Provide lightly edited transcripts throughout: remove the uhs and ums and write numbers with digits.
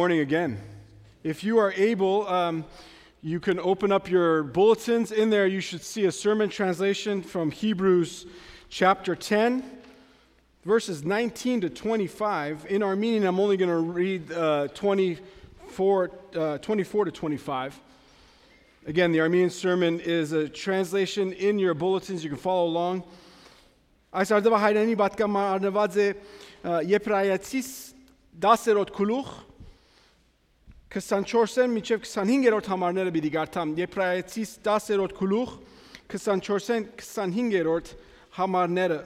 Morning again. If you are able, you can open up your bulletins. In there, you should see a sermon translation from Hebrews chapter 10, verses 19 to 25. In Armenian, I'm only going to read 24 to 25. Again, the Armenian sermon is a translation in your bulletins. You can follow along. Այս արդյունքը հայրենի պատկամարնված է Եբրայեցիս 10-րդ գլուխ 24-ն մինչև 25-րդ համարները պիտի կարդամ Եբրայեցիս 10-րդ գլուխ 24-ն 25-րդ համարները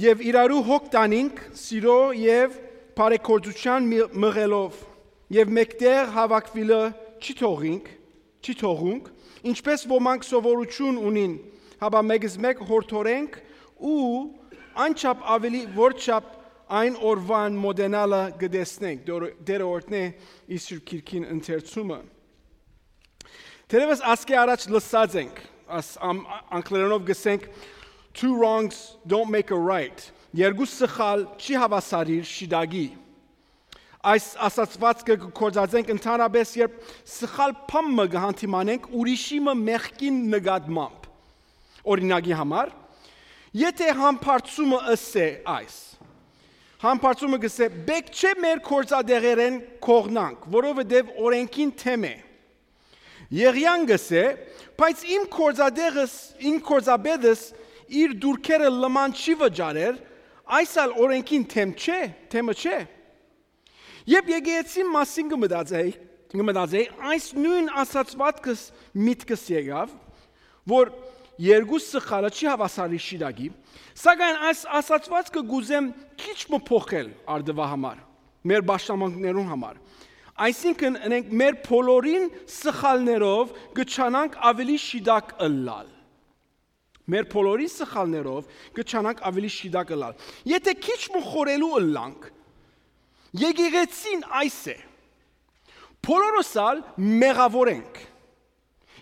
Եվ իրարու հոգ տանինք սիրո եւ բարեգործության մղելով եւ մեկտեղ հավաքվելը չի թողունք ինչպես ոմանք սովորություն ունին Հաբա մեգս մեկ հորթորենք ու անչափ ավելի որչափ այն օրվան մոդենալը գտեսնենք դերը օրտնե իսուր քիրքին ընթերցումը Տերևս ասկե առաջ լսած ենք անգլերենով գսենք two wrongs don't make a right երկու սխալ չի հավասարիր շիդագի Այս ասացվածքը կորցածենք ընդհանրապես երբ սխալ փամը գհանտիմանենք ուրիշիմը մեղքին նկատմամբ Օրինակի համար եթե համբարձումը ըսե այս համբարձումը գսե բեք չէ մեր կորցադեղերեն կողնանք որովհետև օրենքին թեմ է Եղյան գսե բայց իմ կորցաբեդս իր դուրքերը լման չի վճարեր այսալ օրենքին թեմը չէ Եվ եկեղեցի մասին կմտածեի այս նույն ասացվածքս միտքս եկավ որ Երկու սխալը չի հավասարի շիրագի, սակայն այս ասացվածքը գուզեմ քիչ մփոխել արդվա համար, մեր բաշտամանքներուն համար։ Այսինքն ենք մեր բոլորին սխալներով գճանանք ավելի շիդակ ըլլալ։ Մեր բոլորին սխալներով գճանանք ավելի շիդակ ըլլալ։ Եթե քիչ մխորելու ըլլանք, եկեղեցին այս է։ Բոլորոսալ մեղավոր ենք։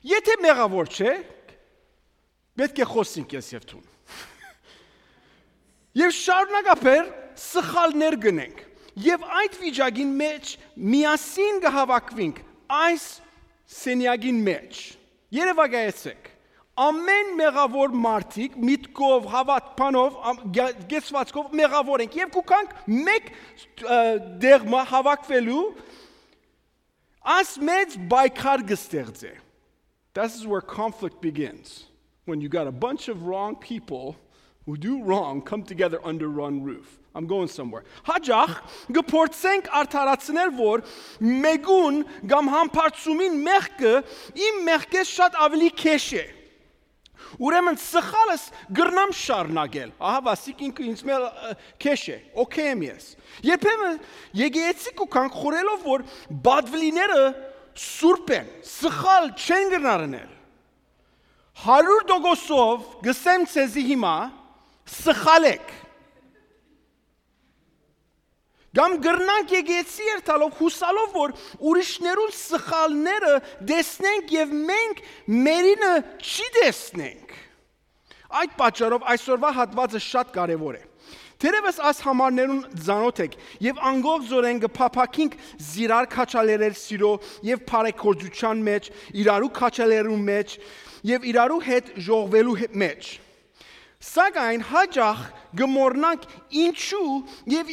Եթե մեղավոր չէ, Պետք է խոսենք ես եւ թուն։ Եվ շարունակաբար սխալներ գնենք։ Եվ այդ վիճակին մեջ միասին կհավաքվենք այս սենյակին մեջ։ Երևակայեցեք։ Ամեն մեղավոր մարդիկ միտքով, հավատքով, գեցվածքով մեղավոր ենք եւ կուքանք մեկ դեղմա հավաքվելու այս մեծ բայկար կստեղծե։ This is where conflict begins. When you got a bunch of wrong people who do wrong come together under one roof. I'm going somewhere. Հաջախ գփորձենք արդարացնել որ մեգուն կամ համբարձումին մեղքը իմ մեղքես շատ ավելի քեշ է։ Ուրեմն սխալս գրնամ շարունակել։ Ահա վասիկ ինքը ինձ մել քեշ է։ Okay եմ ես։ Երբեմն եկեղեցի կուքանք խորելով որ բադվլիները սուրբ են, սխալ չեն գնարնել։ 100% գսեմ ցեզի հիմա սխալեք Գամ գրնանք եկեցի երթալով հուսալով որ ուրիշներուն սխալները դեսնենք եւ մենք մերինը չի դեսնենք Այդ պատճառով այսօրվա հատվածը շատ կարեւոր է Թերևս այս համարներուն ծանոթ եք եւ անգով զորեն կփափակինք զիրար քաչալերել սիրո եւ բարեգործության մեջ իրարու քաչալերու մեջ եւ իրարու հետ ժողվելու մեջ Սակայն հաջող գմորնանք ինչու եւ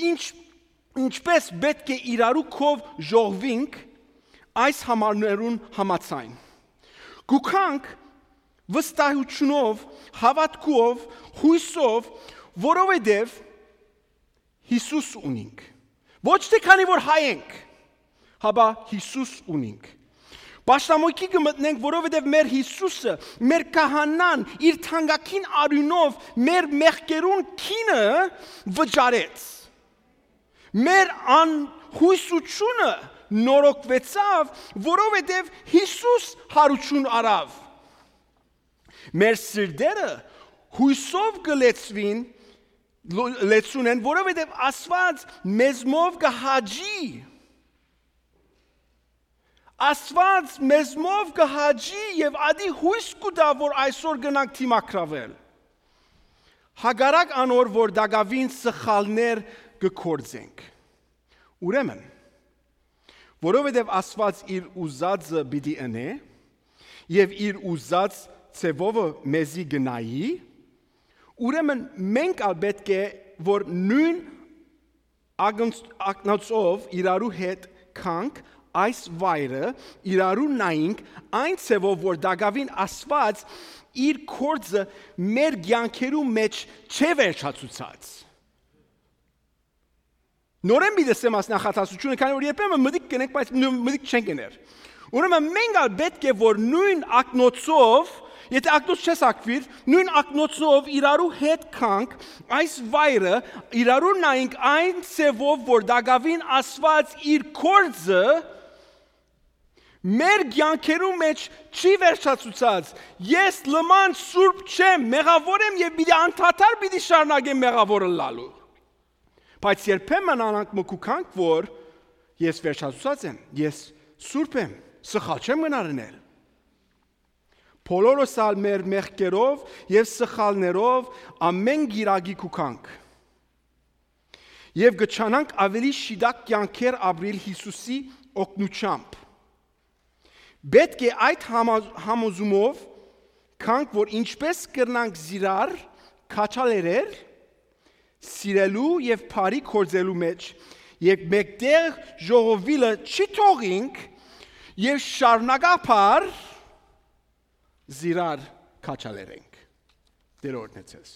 ինչպես պետք է իրարու կով ժողվինք այս համարներուն համացայն Գուքանք վստահությունով հավատքով հույսով որովհետեւ Հիսուս ունինք Ոչ թե քանի որ հայ ենք հաբա Հիսուս ունինք Պաշտամոյքի կմտնենք, որովհետև մեր Հիսուսը, մեր կահանան, իր թանկագին արյունով մեր մեղքերուն քինը վճարեց։ Մեր անհույսությունը նորոգվեցավ, որովհետև Հիսուս հարություն արավ։ Մեր սրտերը հույսով կլեցունեն, որովհետև Աստված մեզմով կհաջի Աստված մեզմով կհաջի եւ ադի հույս կուտա որ այսօր գնանք թիմակրավել Հագարակ անոր որ դակավին սխալներ կկործենք Ուրեմն, որովհետև Աստված իր ուզածը պիտի ընե եւ իր ուզած ցևովը մեզի գնայի, ուրեմն մենք ալ պետք է որ նույն ակնոցով իրարու հետ կանք այս վայրը իրարու նայինք այն ցևով որ դակավին Աստված իր կորձը մեր ցանկերու մեջ չէ վերջացուցած։ Նորեն մի դեսեմ աս նախատասությունը, քանի որ երբեմն մտիկ կնենք, բայց մտիկ չենք գներ։ Ուրեմն մենք ալ պետք է որ նույն ակնոցով, եթե ակնոց չես ակվիր, նույն ակնոցով իրարու հետ կանք այս վայրը իրարու նայինք այն ցևով որ դակավին Աստված իր կորձը մեր ցանկերու մեջ չի վերջացուցած։ Ես լման սուրբ չեմ, մեղավոր եմ եւ պիտի անդադար պիտի շարունակեմ մեղավորը լալու։ Բայց երբեմն անանք մկուկանք որ ես վերջացուցած եմ, ես սուրբ եմ, սխալ չեմ գնարնել։ Բոլորս ալ մեր մեղքերով եւ սխալներով ամեն գիրագի կուկանք։ Եվ գճանանք ավելի շիդակ կյանքեր ապրիլ Հիսուսի օգնությամբ։ Պետք է այդ համոզումով կանք որ ինչպես կրնանք զիրար քաչալերեր սիրելու եւ բարի կորձելու մեջ եւ մեկտեղ ժողովիլը չի թողինք եւ շարունակապար զիրար քաչալերենք։ Դեր օրհնեցես։